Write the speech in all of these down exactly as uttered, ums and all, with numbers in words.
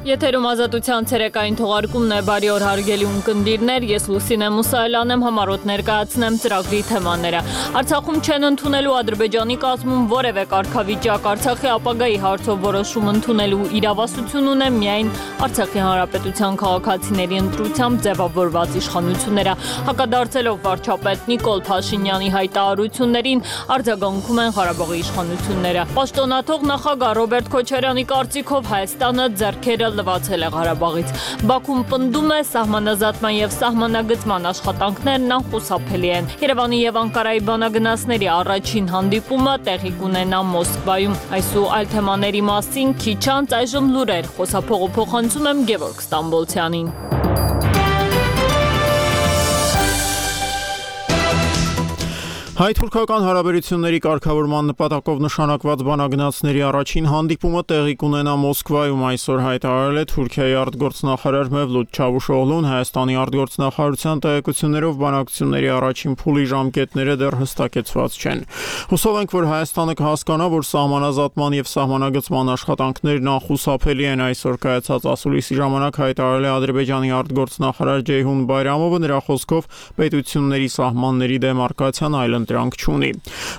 Եթերում ազատության ցերեկային թողարկումն է, բարի օր հարգելի ունկնդիրներ, ես Լուսինե Մուսայելյան եմ, համառոտ ներկայացնեմ ծրագրի թեմաները։ Արցախում չեն ընդունելու Ադրբեջանի կազմում որևէ կարգավիճակ, Արցախի ապագայի հարցով որոշում ընդունելու իրավասություն ունեն միայն Արցախի Հանրապետության քաղաքացիների ընտրությամբ ձևավորված իշխանությունները։ Հակադարձելով վարչապետ Նիկոլ Փաշինյանի հայտարարություններին, արձագանքում են Ղարաբաղի իշխանությունները։ Պաշտոնաթող նախագահ Ռոբերտ Քոչարյանի կարծիքով Հայաստանը ձեռքերը լվացել է Ղարաբաղից։ Բաքուն պնդում է սահմանազատման եւ սահմանագծման աշխատանքներն անխուսափելի են։ Երևանի եւ Անկարայի բանագնացների առաջին հանդիպումը տեղի կունենա Մոսկվայում։ Այս ու այլ թեմաների մասին քիչ անց այժմ լուրեր, խոսափողը փոխանցում եմ Գևորգ Ստամբոլցյանին։ Հայ-թուրքական հարաբերությունների կարգավորման նպատակով նշանակված բանագնացների առաջին հանդիպումը տեղի կունենա Մոսկվայում, այսօր հայտարարել է Թուրքիայի արտգործնախարար Մևլութ Չավուշօղլուն, Հայաստանի արտգործնախարարության տեղեկություններով բանակցությունների առաջին փուլի ժամկետները դեռ հստակեցված չեն։ Հուսով ենք, որ Հայաստանը կհասկանա, որ սահմանազատման եւ սահմանագծման աշխատանքներն անխուսափելի են, այսօր կայացած ասուլիսի ժամանակ հայտարարել է Ադրբեջանի արտգործնախարար Ջեյհուն Բայրամովը, նրա խոսքով պետությունների սահմանների դեմարկացիան այլ դրանք չունի։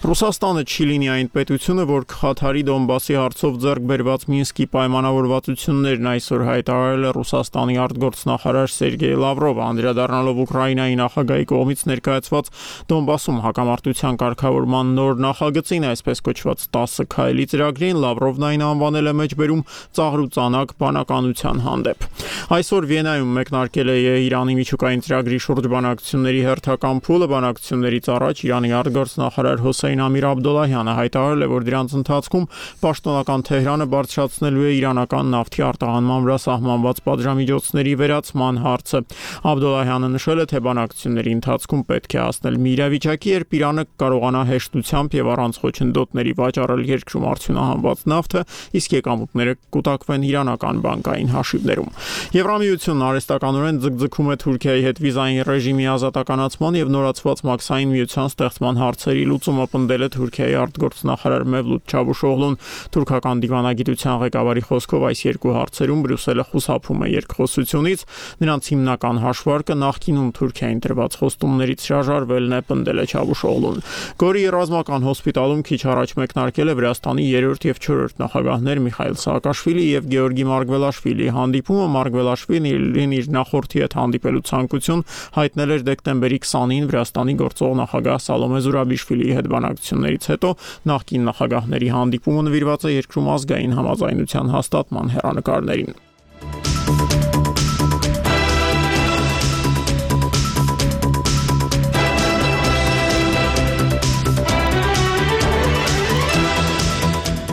Ռուսաստանը չի լինի այն պետությունը, որ կխաթարի Դոնբասի հարցով ձեռք բերված Մինսկի պայմանավորվածություններն, այսօր հայտարարել է Ռուսաստանի արտգործնախարար Սերգեյ Լավրովը, անդրադառնալով Ուկրաինայի նախագահի կողմից ներկայացված Դոնբասում հակամարտության կարգավորման նոր նախագծին, այսպես կոչված տասը քայլի ծրագրին, Լավրովն այն անվանել է մեջբերում ծաղրուծանակ բանականության հանդեպ։ Այսօր Վիեննայում մեկնարկել է Իրանի միջուկային ծրագրի շուրջ բանակցությունների հերթական փուլը, բանակցություններից առաջ Իրանի արտգործնախարար Հոսեյն Ամիր Աբդոլլահյանը հայտարարել է, որ դրանց ընթացքում պաշտոնական Թեհրանը բարձրացնելու է իրանական նավթի արտահանման վրա սահմանված պատժամիջոցների վերացման հարցը։ Աբդոլլահյանը նշել է, թե բանակցությունների ընթացքում պետք է հասնել մի իրավիճակի, երբ Իրանը կարողանա հեշտությամբ եւ առանց խոչընդոտների վաճառել երկրում արդյունահանված նավթը, իսկ եկամուտները կուտակվեն իրանական բանկային հաշիվներում։ Եվրամիությունն արհեստականորեն ձգձգում է Թուրքիայի հետ վիզային ռեժիմի ազատականացման եւ նորացված մաքսային միության ստեղծման հարցերի լուծումը, պնդել է Թուրքիայի արտգործնախարար Մևլութ Չավուշօղլուն։ Թուրքական դիվանագիտության ղեկավարի խոսքով այս երկու հարցերում Բրյուսելը խուսափում է երկխոսությունից, նրանց հիմնական հաշվարկը նախկինում Թուրքիային տրված խոստումներից հրաժարվելն է, պնդել է Չավուշօղլուն։ Գորի ռազմական հոսպիտալում քիչ առաջ մեկնարկել է Վրաստանի երրորդ եւ չորրորդ նախագահներ Միխայիլ Սաակաշվիլի եւ Գեորգի Մարգվելաշվիլիի հանդիպումը։ Մարգվելաշվիլին իր նախորդի հետ հանդիպելու ցանկություն հայտնել էր դեկտեմբերի քսանին Վրաստանի գործող նախագահ Սալոմե Զուրաբիշվիլիի հետ բանակցություններից հետո նախկին նախագահների հանդիպումը նվիրված է երկրում ազգային համաձայնության հաստատման հեռանկարներին։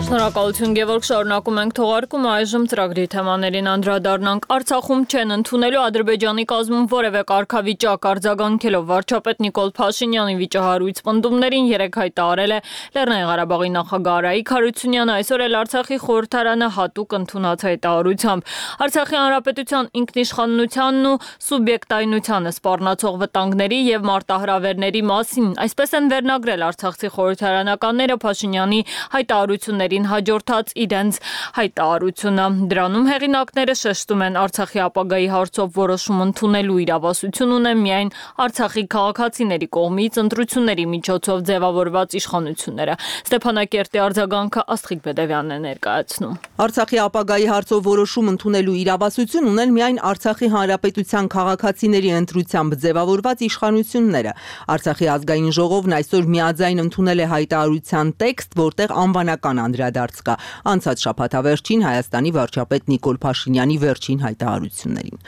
Շնորհակալություն Գևորգ, շարունակում ենք թողարկումը, այժմ ծրագրի թեմաներին անդրադառնանք։ Արցախում չեն ընդունելու Ադրբեջանի կազմում որևէ կարգավիճակ, արձագանքելով վարչապետ Նիկոլ Փաշինյանի վիճահարույց պնդումներին երեկ հայտարարել է Լեռնային Ղարաբաղի նախագահ Արայիկ Հարությունյանը, այսօր էլ Արցախի խորհրդարանը հատուկ ընդունած հայտարարությամբ։ Արցախի Հանրապետության ինքնիշխանությանն ու սուբյեկտայնությանը սպառնացող վտանգների եւ մարտահրավերների մասին, այսպես են վերնագրել արցախցի խորհրդարանականները Փաշինյանի հայտարարությունների հաջորդած իրենց հայտարարությունը։ Դրանում հեղինակները շեշտում են Արցախի ապագայի հարցով որոշում ընդունելու իրավասություն ունեն միայն Արցախի քաղաքացիների կողմից ընտրությունների միջոցով ձևավորված իշխանությունները։ Ստեփանակերտի արձագանքը Աստղիկ Բեդևյանն է ներկայացնում։ Արցախի ապագայի հարցով որոշում ընդունելու իրավասություն ունեն միայն Արցախի Հանրապետության քաղաքացիների ընտրությամբ ձևավորված իշխանությունները։ Արցախի ազգային ժողովն այսօր միաձայն ընդունել է հայտարարության տեքստ, որտեղ անվանական անդրադարձ կա անցած շաբաթավերջին Հայաստանի վարչապետ Նիկոլ Փաշինյանի վերջին հայտարարություններին։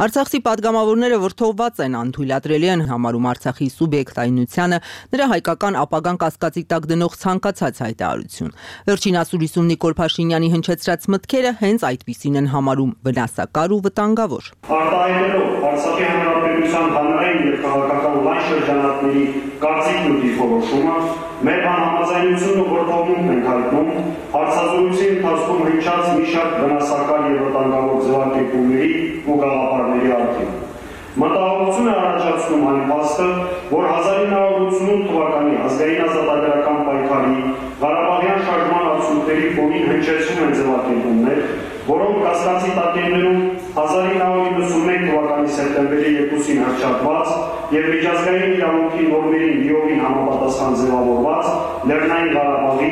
Արցախցի падգամավորները վրդովված են, անթույլատրելի են համարում Արցախի սուբյեկտայնությանը, նրա հայկական ապագան կասկածի տակ դնող ցանկացած հայտարարություն։ Վերջին ասուլիսում Նիկոլ Փաշինյանի հնչեցրած մտքերը հենց այդպիսին են համարում վնասակար ու վտանգավոր։ Արտահայտելով Արցախի Հանրապետության հանրային եւ քաղաքական լայն շրջանակների կարծիքն ու դիրքորոշումը, մեր համաձայնությունը որդողում ենք հայտնում հարցազրույցի ընթացքում հնչած մի շարք վնասակար եւ վտանգավոր ձևակերպումների ու գաղափարների առթիվ։ Մտահոգություն է առաջացնում այն փաստը, որ հազար ինը հարյուր ութսունութ թվականի ազգային ազատագրական պայքարի Ղարաբաղյան շարժման արդյունքների ֆոնին հնչեցնում են ձևակերպումներ, որոնք կասկածի տակ են դնում հազար ինը հարյուր իննսունմեկ թվականի սեպտեմբերի երկուսին հռչակված եւ միջազգային իրավունքի նորմերին լիովին համապատասխան ձևավորված Լեռնային Ղարաբաղի,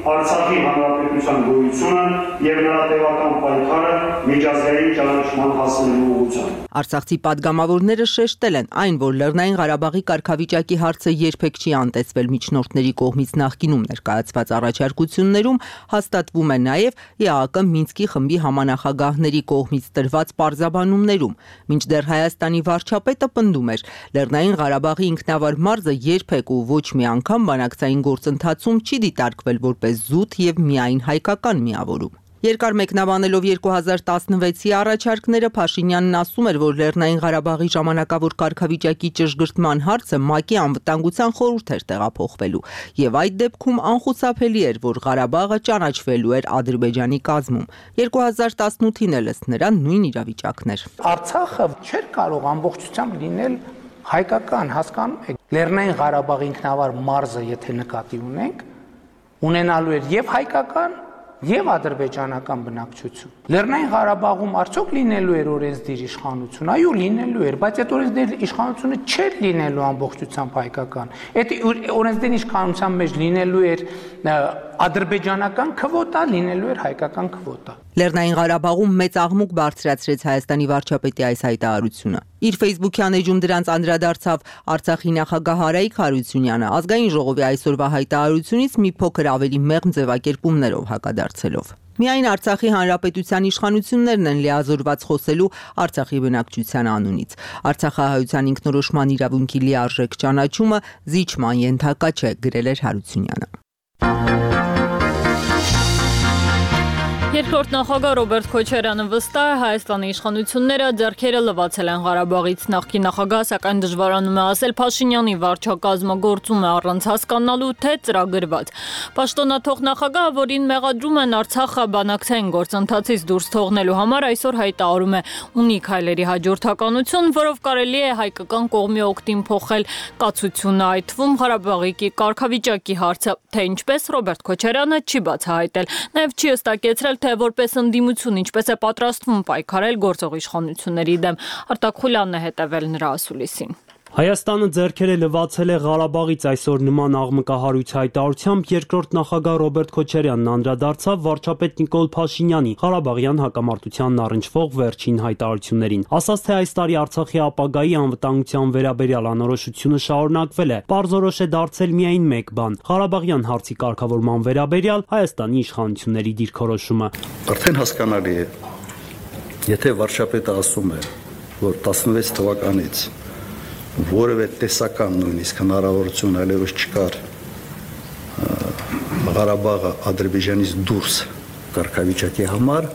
Արցախի հանրապետության գոյությունը եւ նրա տևական պայքարը միջազգային ճանաչման հասնելու ուղղությամբ։ Արցախցի падգամավորները շեշտել են այն, որ Լեռնային Ղարաբաղի կարգավիճակի հարցը երբեք չի անտեսվել միջնորդների կողմից նախկինում ներկայացված առաջարկություններում, հաստատվում է նաև ԵԱՀԿ Մինսկի խմբի համանախագահների կողմից տրված պարզաբանումներում, մինչդեռ Հայաստանի վարչապետը պնդում էր, Լեռնային Ղարաբաղի ինքնավար մարզը երբեք ու ոչ մի անգամ բանակցային գործընթացում չի դիտարկվել որպես զուտ եւ միայն հայկական միավորում։ Երկար մեկնաբանելով երկու հազար տասնվեցի առաջարկները Փաշինյանն ասում էր, որ Լեռնային Ղարաբաղի ժամանակավոր կարգավիճակի ճշգրտման հարցը ՄԱԿ-ի անվտանգության խորհուրդ էր տեղափոխվելու, եւ այդ դեպքում անխուսափելի էր, որ Ղարաբաղը ճանաչվելու էր Ադրբեջանի կազմում։ երկու հազար տասնութին էլ ըստ նրան նույն իրավիճակն էր։ Արցախը չէր կարող ամբողջությամբ լինել հայկական, հասկանում եք։ Լեռնային Ղարաբաղի ինքնավար մարզը, եթե նկատի ունենք, ունենալու էր եւ հայկական եւ ադրբեջանական բնակչություն։ Լեռնային Ղարաբաղում արդյոք լինելու էր օրենսդիր իշխանություն, այո, լինելու էր, բայց այդ օրենսդիր իշխանությունը չէր լինելու ամբողջությամբ հայկական։ Այդ օրենսդիր իշխանության մեջ լինելու էր ադրբեջանական քվոտա, լինելու էր հայկական քվոտա։ Լեռնային Ղարաբաղում մեծ աղմուկ բարձրացրեց Հայաստանի վարչապետի այս հայտարարությունը։ Իր Facebook-յան էջում դրանց անդրադարձավ Արցախի նախագահ Արայիկ Հարությունյանը, ազգային ժողովի այսօրվա հայտարարությունից մի փոքր ավելի մեղմ ձևակերպումներով հակադարձելով։ Միայն Արցախի հանրապետության իշխանություններն են լիազորված խոսելու Արցախի բնակչության անունից։ Արցախահայության ինքնորոշման իրավունքի լիարժեք ճանաչումը զիջման ենթակա չէ, գրել էր Հարությունյանը։ Երկրորդ նախագահ Ռոբերտ Քոչարյանը վստահ է, Հայաստանի իշխանությունները ձեռքերը լվացել են Ղարաբաղից, նախկին նախագահ սակայն դժվարանում է ասել Փաշինյանի վարչակազմը գործում է առանց հասկանալու, թե ծրագրված։ Պաշտոնաթող նախագահը, որին մեղադրում են Արցախը բանակցային գործընթացից դուրս թողնելու համար, այսօր հայտարարում է ունի քայլերի հաջորդականություն, որով կարելի է հայկական կողմի օգտին փոխել կացությունը, այդ թվում Ղարաբաղի կարգավիճակի հարցը, թե ինչպես Ռոբերտ Քոչարյանը չի բացահայտել, նաև չի հստակեցրել, թե որպես ընդդիմություն ինչպես է պատրաստվում պայքարել գործող իշխանությունների դեմ։ Արտակ Խուլյանն է հետևել նրա ասուլիսին։ Հայաստանը ձեռքերը լվացել է Ղարաբաղից, այսօր նման աղմկահարույց հայտարարությամբ երկրորդ նախագահ Ռոբերտ Քոչարյանն անդրադարձավ վարչապետ Նիկոլ Փաշինյանի Ղարաբաղյան հակամարտությանն առնչվող վերջին հայտարարություններին։ Ասաց, թե այս տարի Արցախի ապագայի անվտանգության վերաբերյալ անորոշությունը շարունակվել է, պարզորոշ է դարձել միայն մեկ բան՝ Ղարաբաղյան հարցի կարգավորման վերաբերյալ Հայաստանի իշխանությունների դիրքորոշումը։ Արդեն հասկանալի է, եթե վարչապետը ասում է, որ տասնվեց թվականից որևէ տեսական նույնիսկ հնարավորություն այլևս չկար Ղարաբաղը Ադրբեջանից դուրս կարգավիճակի համար,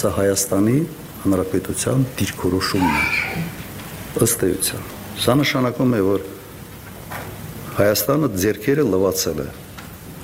սա Հայաստանի Հանրապետության դիրքորոշումն է։ Ըստ էության, սա նշանակում է, որ Հայաստանը ձեռքերը լվացել է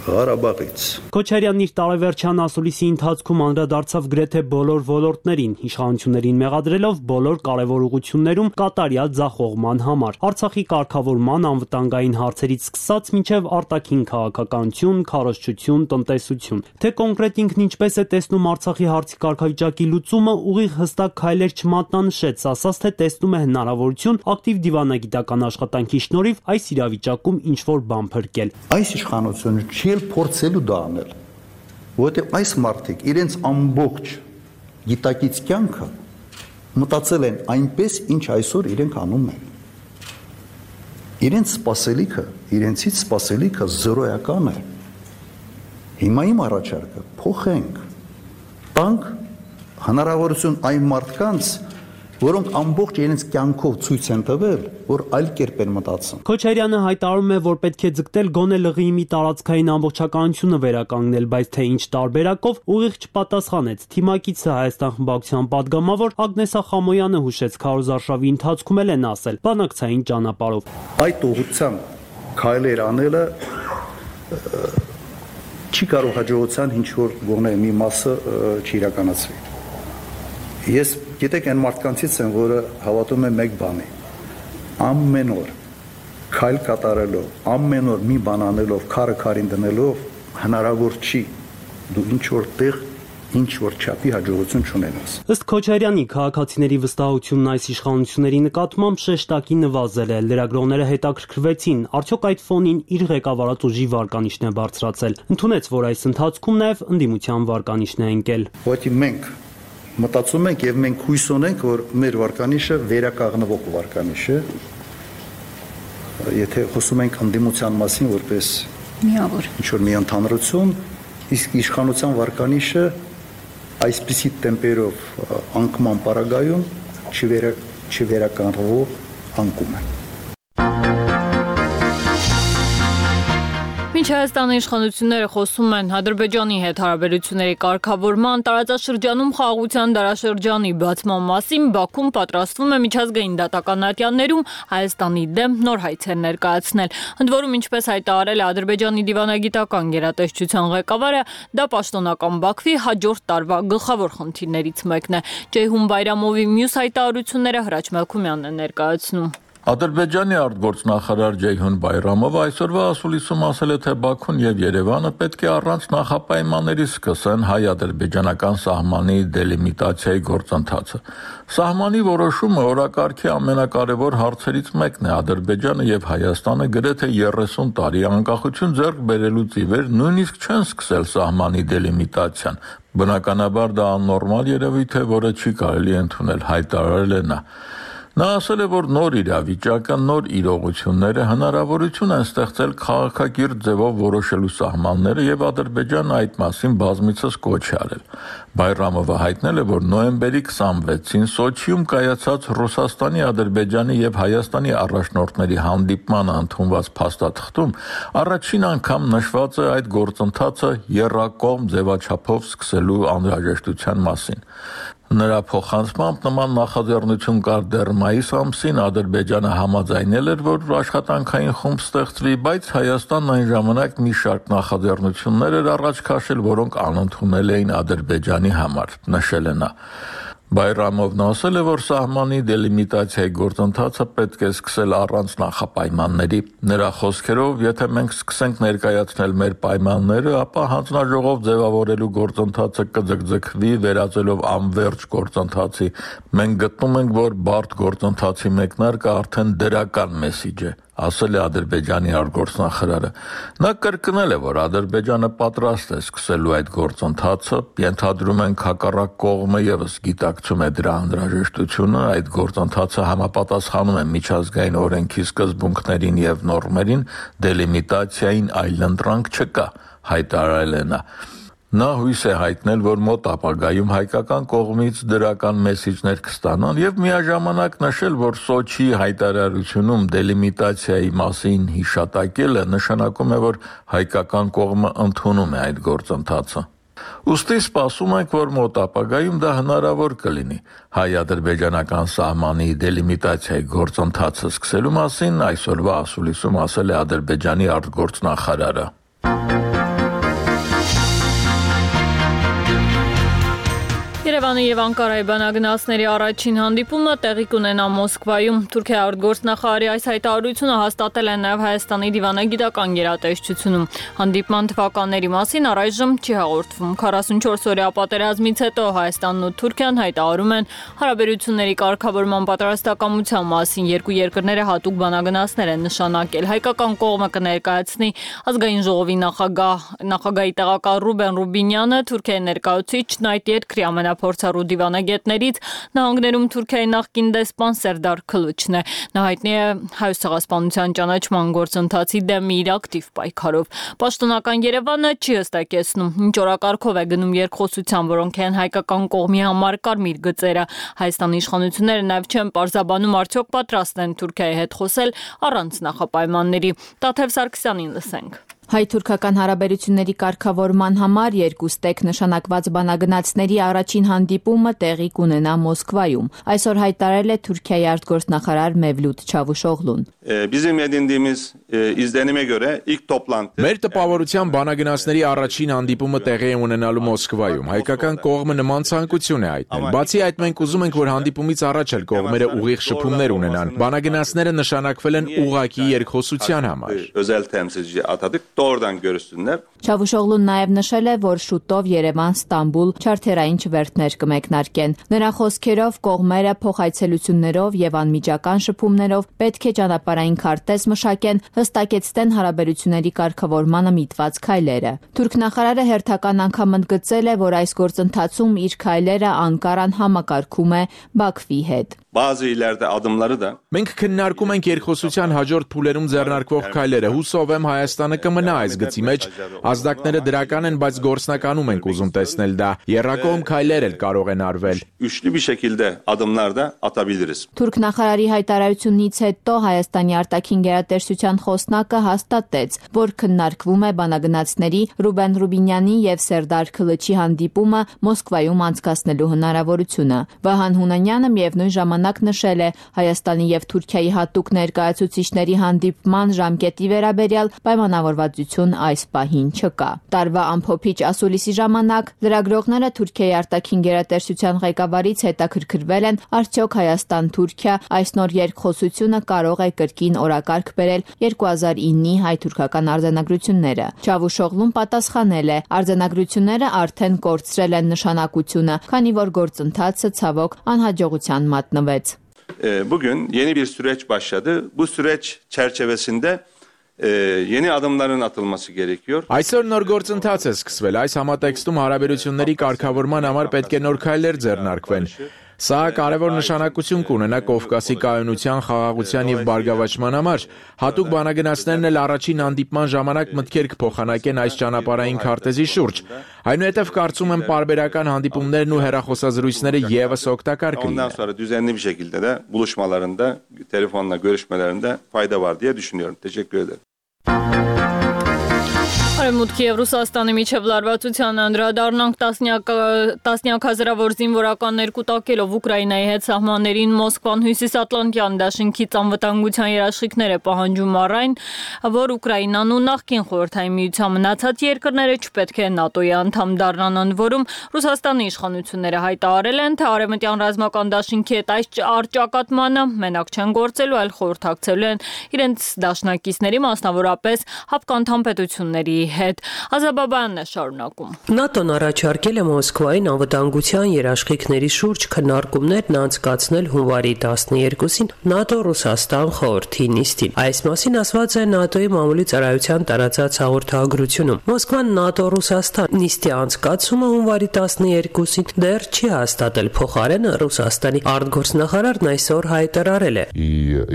Ղարաբաղից։ Քոչարյանն իր տարեվերջյան ասուլիսի ընթացքում անդրադարձավ գրեթե բոլոր ոլորտներին, իշխանություններին մեղադրելով բոլոր կարևոր ուղղություններում կատարյալ ձախողման համար։ Արցախի կարգավորման, անվտանգային հարցերից սկսած մինչև արտաքին քաղաքականություն, քարոզչություն, տնտեսություն։ Թե կոնկրետ ինքն ինչպես է տեսնում Արցախի հարցի կարգավիճակի լուծումը, ուղիղ հստակ քայլեր չմատնանշեց, ասաց, թե տեսնում է հնարավորություն ակտիվ դիվանագիտական աշխատանքի շնորհիվ այս իրավիճակում ինչ-որ բան փրկել։ Այս իշխանությունը չի փորձելու դա անել, որովհետև այս մարդիկ իրենց ամբողջ գիտակից կյանքը մտածել են այնպես, ինչ այսօր իրենք անում են։ Իրենց սպասելիքը, իրենցից սպասելիքը զրոյական է։ Հիմա իմ առաջարկը փոխենք, տանք հնարավորություն այն մարդկանց, որոնք ամբողջ իրենց կյանքով ցույց են տվել, որ այլ կերպ են մտածում։ Քոչարյանը հայտարարում է, որ պետք է ձգտել գոնե լղի մի տարածքային ամբողջականությունը վերականգնել, բայց թե ինչ տարբերակով, ուղիղ չպատասխանեց։ Թիմակիցը Հայաստան խմբակցության падգամավոր Ագնես Ախամոյանը հուշեց քարոզարշավի ընթացքում էլ են ասել բանակցային ճանապարհով։ Այդ ուղղությամբ քայլեր անելը չի կարող հաջողության ինչ որ գոնե մի մասը չիրականացվի։ Ես գիտեք այն մարդկանցից եմ, որը հավատում է մեկ բանի. ամեն օր քայլ կատարելով, ամեն օր մի բան անելով, քարը քարին դնելով հնարավոր չի դու ինչ որ տեղ ինչ որ չափի հաջողություն չունենաս։ Ըստ Քոչարյանի, քաղաքացիների վստահությունն այս իշխանությունների նկատմամբ շեշտակի նվազել է։ Լրագրողները հետաքրքրվեցին, արդյոք այդ ֆոնին իր ղեկավարած ուժի վարկանիշն է բարձրացել։ Ընդունեց, որ այս ընթացքում նաև ընդդիմության վարկանիշն է ընկել։ Ուղղակի մենք մտածում ենք եւ մենք հույս ունենք, որ մեր վարկանիշը վերականգնվող վարկանիշ է։ Եթե խոսում ենք ընդդիմության մասին որպես միավոր ինչ որ մի ընդհանրություն, իսկ իշխանության վարկանիշը այսպիսի տեմպերով անկման պարագայում չվերականգնվող անկում է։ Մինչ Հայաստանի իշխանությունները խոսում են Ադրբեջանի հետ հարաբերությունների կարգավորման, տարածաշրջանում խաղաղության դարաշրջանի բացման մասին, Բաքուն պատրաստվում է միջազգային դատական ատյաններում Հայաստանի դեմ նոր հայցեր ներկայացնել։ Ընդ որում, ինչպես հայտարարել է Ադրբեջանի դիվանագիտական գերատեսչության ղեկավարը, դա պաշտոնական Բաքվի հաջորդ տարվա գլխավոր խնդիրներից մեկն է։ Ջեյհուն Բայրամովի մյուս հայտարարությունները Հրաչ Մելքումյանն է ներկայացնում։ Ադրբեջանի արտգործնախարար Ջեյհուն Բայրամովը այսօրվա ասուլիսում ասել է, թե Բաքուն եւ Երևանը պետք է առանց նախապայմանների սկսեն հայ-ադրբեջանական սահմանի դելիմիտացիայի գործընթացը։ Սահմանի որոշումը օրակարգի ամենակարևոր հարցերից մեկն է։ Ադրբեջանը եւ Հայաստանը գրեթե երեսուն տարի անկախություն ձեռք բերելուց ի վեր նույնիսկ չեն սկսել սահմանի դելիմիտացիան։ Բնականաբար դա աննորմալ երևույթ է, որը չի կարելի ընդունել, հայտարարել է նա։ Նա ասել է, որ նոր իրավիճակը, նոր իրողությունները հնարավորություն են ստեղծել քաղաքակիրթ ձևով որոշելու սահմանները եւ Ադրբեջանը այդ մասին բազմիցս կոչ է արել։ Բայրամովը հայտնել է, որ նոյեմբերի քսանվեցին Սոչիում կայացած Ռուսաստանի, Ադրբեջանի եւ Հայաստանի առաջնորդների հանդիպմանը ընդունված փաստաթղթում առաջին անգամ նշված է այդ գործընթացը եռակողմ ձևաչափով սկսելու անհրաժեշտության մասին։ Նրա փոխանցմամբ նման նախաձեռնություն կար դեռ մայիս ամսին, Ադրբեջանը համաձայնել էր, որ աշխատանքային խումբ ստեղծվի, բայց Հայաստանն այն ժամանակ մի շարք նախաձեռնություններ էր առաջ քաշել, որոնք անընդունել էին Ադրբեջանի համար, նշել է նա։ Բայրամովն ասել է, որ սահմանի դելիմիտացիայի գործընթացը պետք է սկսել առանց նախապայմանների։ Նրա խոսքերով, եթե մենք սկսենք ներկայացնել մեր պայմանները, ապա հանձնաժողով ձևավորելու գործընթացը կձգձգվի, վերածելով անվերջ գործընթացի։ Մենք գտնում ենք, որ բարդ գործընթացի մեկնարկը արդեն դրական մեսիջ է, ասել է Ադրբեջանի արտգործնախարարը։ Նա կրկնել է, որ Ադրբեջանը պատրաստ է սկսելու այդ գործընթացը, ենթադրում ենք հակառակ կողմը եւս գիտակցում է դրա անհրաժեշտությունը, այդ գործընթացը համապատասխանում է միջազգային օրենքի սկզբունքներին եւ նորմերին, դելիմիտացիային այլընտրանք չկա, հայտարարել է նա։ Նա հույս է հայտնել, որ մոտ ապագայում հայկական կողմից դրական մեսիջներ կստանան եւ միաժամանակ նշել, որ Սոչիի հայտարարությունում դելիմիտացիայի մասին հիշատակելը նշանակում է, որ հայկական կողմը ընդունում է այդ գործընթացը։ Ուստի սպասում ենք, որ մոտ ապագայում դա հնարավոր կլինի։ Հայ-ադրբեջանական սահմանի դելիմիտացիայի գործընթացը սկսելու մասին այսօրվա ասուլիսում ասել է Ադրբեջանի արտգործնախարարը։ Երևանի եւ Անկարայի բանագնացների առաջին հանդիպումը տեղի կունենա Մոսկվայում։ Թուրքիայի արտգործնախարարի այս հայտարարությունը հաստատել է նաեւ Հայաստանի դիվանագիտական գերատեսչությունում։ Հանդիպման թվականների մասին առայժմ չի հաղորդվում։ քառասունչորս օրյա պատերազմից հետո Հայաստանն ու Թուրքիան հայտարարում են հարաբերությունների կարգավորման պատրաստակամության մասին։ Երկու երկրները հատուկ բանագնացներ են նշանակել։ Հայկական կողմը կներկայացնի ազգային ժողովի նախագահ նախագահի տեղակալ Ռուբեն Ռուբինյանը, Թուրքիայի ներկայացուցիչն այդ երկրի ամենափորձառու դիվանագետներից նահանգներում Թուրքիայի նախկին դեսպան Սերդար Քլուչն է։ Նա հայտնի է հայոց ցեղասպանության ճանաչման գործընթացի դեմ իր ակտիվ պայքարով։ Պաշտոնական Երևանը չի հստակեցնում ինչ օրակարգով է գնում երկխոսության, որոնք են հայկական կողմի համար կարմիր գծերը։ Հայաստանի իշխանությունները նաև չեն պարզաբանում արդյոք պատրաստ են Թուրքիայի հետ խոսել առանց նախապայմանների։ Տաթև Սարգսյանին լսենք։ Հայ-թուրքական հարաբերությունների կարգավորման համար երկու ստեկ նշանակված բանագնացների առաջին հանդիպումը տեղի կունենա Մոսկվայում։ Այսօր հայտարարել է Թուրքիայի արտգործնախարար Մevlut Çavuşoğlu'n։ Bizim edindiğimiz izlenime göre ilk toplantı Մեր տպավորության բանագնացների առաջին հանդիպումը տեղի է ունենալու Մոսկվայում։ Հայկական կողմը նման ցանկություն է հայտնել։ Բացի այդ, մենք ուզում ենք, որ հանդիպումից առաջ էլ կողմերը ուղիղ շփումներ ունենան։ Բանագնացները նշանակվել են ուղղակի երկխոսության համար։ Özel temsilci atadık. doğrudan görüşsünler. Çavuşoğlu'n նաև նշել է, որ շուտով Երևան-Ստամբուլ չարթերային չվերթներ կմեկնարկեն։ Նրա խոսքերով կողմերը փոխայցելություններով եւ անմիջական շփումներով պետք է ճանապարհային քարտեզ մշակեն, հստակեցնեն հարաբերությունների կարգավորմանը միտված քայլերը։ Թուրք նախարարը հերթական անգամ ընդգծել է, որ այս գործընթացում իր քայլերը Անկարան համակարգում է Բաքվի հետ։ Bazı ileride adımları da Մենք քննարկում ենք երկխոսության հաջորդ փուլերում ձեռնարկվող քայլերը։ Հուսով եմ Հայաստանը կմնա այս գծի մեջ։ Ազդակները դրական են, բայց գործնականում ենք ուզում տեսնել դա։ Եռակողմ քայլեր էլ կարող են արվել։ Üçlü bir şekilde adımlar da atabiliriz. Թուրք նախարարի հայտարարությունից հետո Հայաստանի արտաքին գերատեսչության խոսնակը հաստատեց, որ քննարկվում է բանագնացների Ռուբեն Ռուբինյանի եւ Սերդար Քլիչի հանդիպումը Մոսկվայում անցկացնելու հնարավորությունը։ Վահան Հունանյանը միևնույն ժամանակ նշել է Հայաստանի եւ Թուրքիայի հատուկ ներկայացուցիչների հանդիպման ժամկետի վերաբերյալ պայմանավորվածություն այս պահին չկա։ Տարվա ամփոփիչ ասուլիսի ժամանակ լրագրողները Թուրքիայի արտաքին գերատեսչության ղեկավարից հետաքրքրվել են, արդյոք Հայաստան-Թուրքիա այս նոր երկխոսությունը կարող է կրկին օրակարգ բերել երկու հազար իննի հայ-թուրքական արձանագրությունները։ Չավուշօղլուն պատասխանել է, արձանագրությունները արդեն կորցրել են նշանակությունը, քանի որ գործընթացը ցավոք անհաջողության մատնվեց։ Bugün yeni bir süreç başladı. Bu süreç çerçevesinde e, yeni adımların atılması gerekiyor. Այսօր նոր գործընթաց է սկսվել։ Այս համատեքստում հարաբերությունների կարգավորման համար պետք է նոր քայլեր ձեռնարկվեն։ Սա կարևոր նշանակություն կունենա Կովկասի կայունության, խաղաղության եւ բարգավաճման համար։ Հատուկ բանագնացներն էլ առաջին հանդիպման ժամանակ մտքեր կփոխանակեն այս ճանապարհային քարտեզի շուրջ։ Այնուհետև կարծում եմ պարբերական հանդիպումներն ու հեռախոսազրույցները եւս օգտակար Ondan կլինեն։ sonra düzenli bir şekilde de buluşmalarında, telefonla görüşmelerinde fayda var diye düşünüyorum. Teşekkür ederim. Արևմուտքի եւ Ռուսաստանի միջև լարվածության անդրադառնանք տասնյակ տասնյակ հազարավոր զինվորականներ կուտակելով Ուկրաինայի հետ սահմաններին Մոսկվան հյուսիսատլանտյան դաշինքից անվտանգության երաշխիքներ է պահանջում առայն, որ Ուկրաինան ու նախկին խորհրդային միության մնացած երկրները չպետք է ՆԱՏՕ-ի անդամ դառնան, ընդ որում Ռուսաստանի իշխանությունները հայտարարել են, թե արևմտյան ռազմական դաշինքի հետ այս արճակատմանը մենակ չեն գործելու, այլ խորհրդակցելու են իրենց դաշնակիցների, մասնավորապես հապկանդամ պետությունների հետ։ Ազաբաբյանն է շարունակում։ ՆԱՏՕ-ն առաջարկել է Մոսկվային անվտանգության երաշխիքների շուրջ քննարկումներն անցկացնել հունվարի տասներկուսին ՆԱՏՕ-Ռուսաստան խորհրդի նիստին։ Այս մասին ասված է ՆԱՏՕ-ի մամուլի ծառայության տարածած հաղորդագրությունում։ Մոսկվան ՆԱՏՕ-Ռուսաստան նիստի անցկացումը հունվարի տասներկուսին դեռ չի հաստատել, փոխարենը Ռուսաստանի արտգործնախարարն այսօր հայտարարել է։ И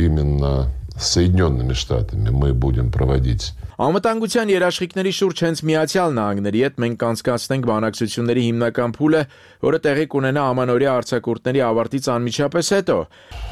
именно с Соединенными Штатами мы будем проводить Անվտանգության երաշխիքների շուրջ հենց Միացյալ Նահանգների հետ մենք կանցկացնենք բանակցությունների հիմնական փուլը, որը տեղի կունենա ամանորյա արձակուրդների ավարտից անմիջապես հետո։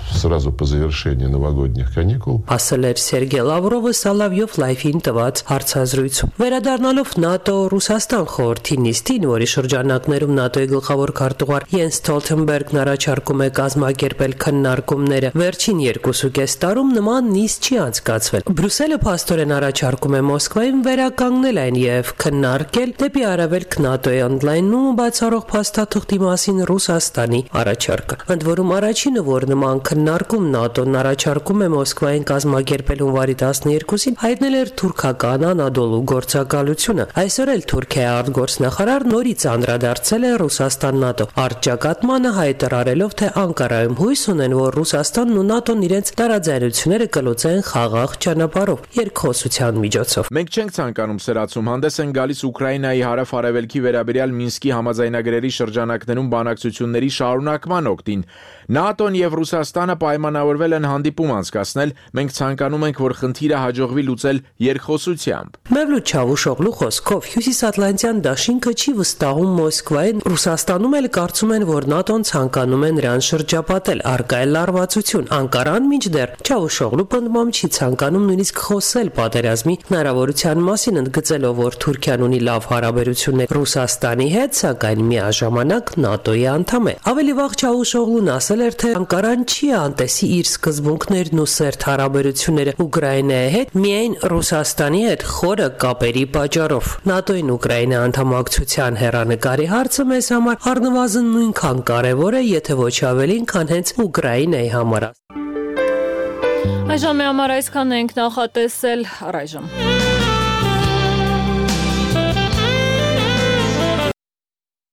Сразу по завершении новогодних каникул. Ասել էր Սերգեյ Լավրովը Սալավյով լայվին տված հարցազրույցում։ Վերադառնալով ՆԱՏՕ-Ռուսաստան խորհրդի նիստին, որի շրջանակներում ՆԱՏՕ-ի գլխավոր քարտուղար Յենս Ստոլթենբերգն առաջարկում է կազմակերպել քննարկումները, վերջին երկուսուկես տարում նման նիստ չի անցկացվել։ Բրյուսելը փաստորեն առաջարկում է Մոսկվային վերականգնել այն եւ քննարկել դեպի արևելք ՆԱՏՕ-ի ընդլայնումը բացառող փաստաթղթի մասին Ռուսաստանի առաջարկը։ Ընդ որում առաջինը, որ նման քննարկում ՆԱՏՕ-ն առաջարկում է Մոսկվային կազմակերպել հունվարի տասներկուսին, հայտնել էր թուրքական Անադոլու գործակալությունը։ Այսօր էլ Թուրքիայի արտգործնախարար նորից անդրադարձել է Ռուսաստան-ՆԱՏՕ առճակատմանը, հայտարարելով, թե Անկարայում հույս ունեն, որ Ռուսաստանն ու ՆԱՏՕ-ն իրենց տարաձայնությունները կլուծեն խաղաղ ճանապարհով, երկխոսության միջոցով։ Մենք չենք ցանկանում սրացում, հանդես են գալիս Ուկրաինայի հարավ-արևելքի վերաբերյալ Մինսկի համաձայնագրերի շրջանակներում բանակցությունների շարունակման օգտին։ ՆԱՏՕ-ն եւ Ռուսաստանը պայմանավորվել են հանդիպում անցկացնել, մենք ցանկանում ենք, որ խնդիրը հաջողվի լուծել երկխոսությամբ։ Մևլութ Չավուշօղլու խոսքով հյուսիսատլանտյան դաշինքը չի վստահում Մոսկվային, Ռուսաստանում էլ կարծում են, որ ՆԱՏՕ-ն ցանկանում է նրան շրջապատել, առկա է լարվածություն։ Անկարան մինչդեռ Չավուշօղլու պնդմամբ չի ցանկանում նույնիսկ խոսել պատերազմի հնարավորության մասին, ընդգծելով, որ Թուրքիան ունի լավ հարաբերություններ Ռուսաստանի հետ, սակայն միաժամանակ ՆԱՏՕ-ի անդամ է։ Ավելի վաղ Չավուշօղլուն ասել էր, թե Անկարան չի անտեսի իր սկզբունքներն ու սերտ հարաբերությունները Ուկրաինայի հետ միայն Ռուսաստանի հետ խորը կապերի պատճառով։ ՆԱՏՕ-ին Ուկրաինա անդամակցության հեռանկարի հարցը մեզ համար առնվազն նույնքան կարևոր է, եթե ոչ ավելին, քան հենց Ուկրաինայի համար։ Այժմ համար այսքան ենք նախատեսել առայժմ։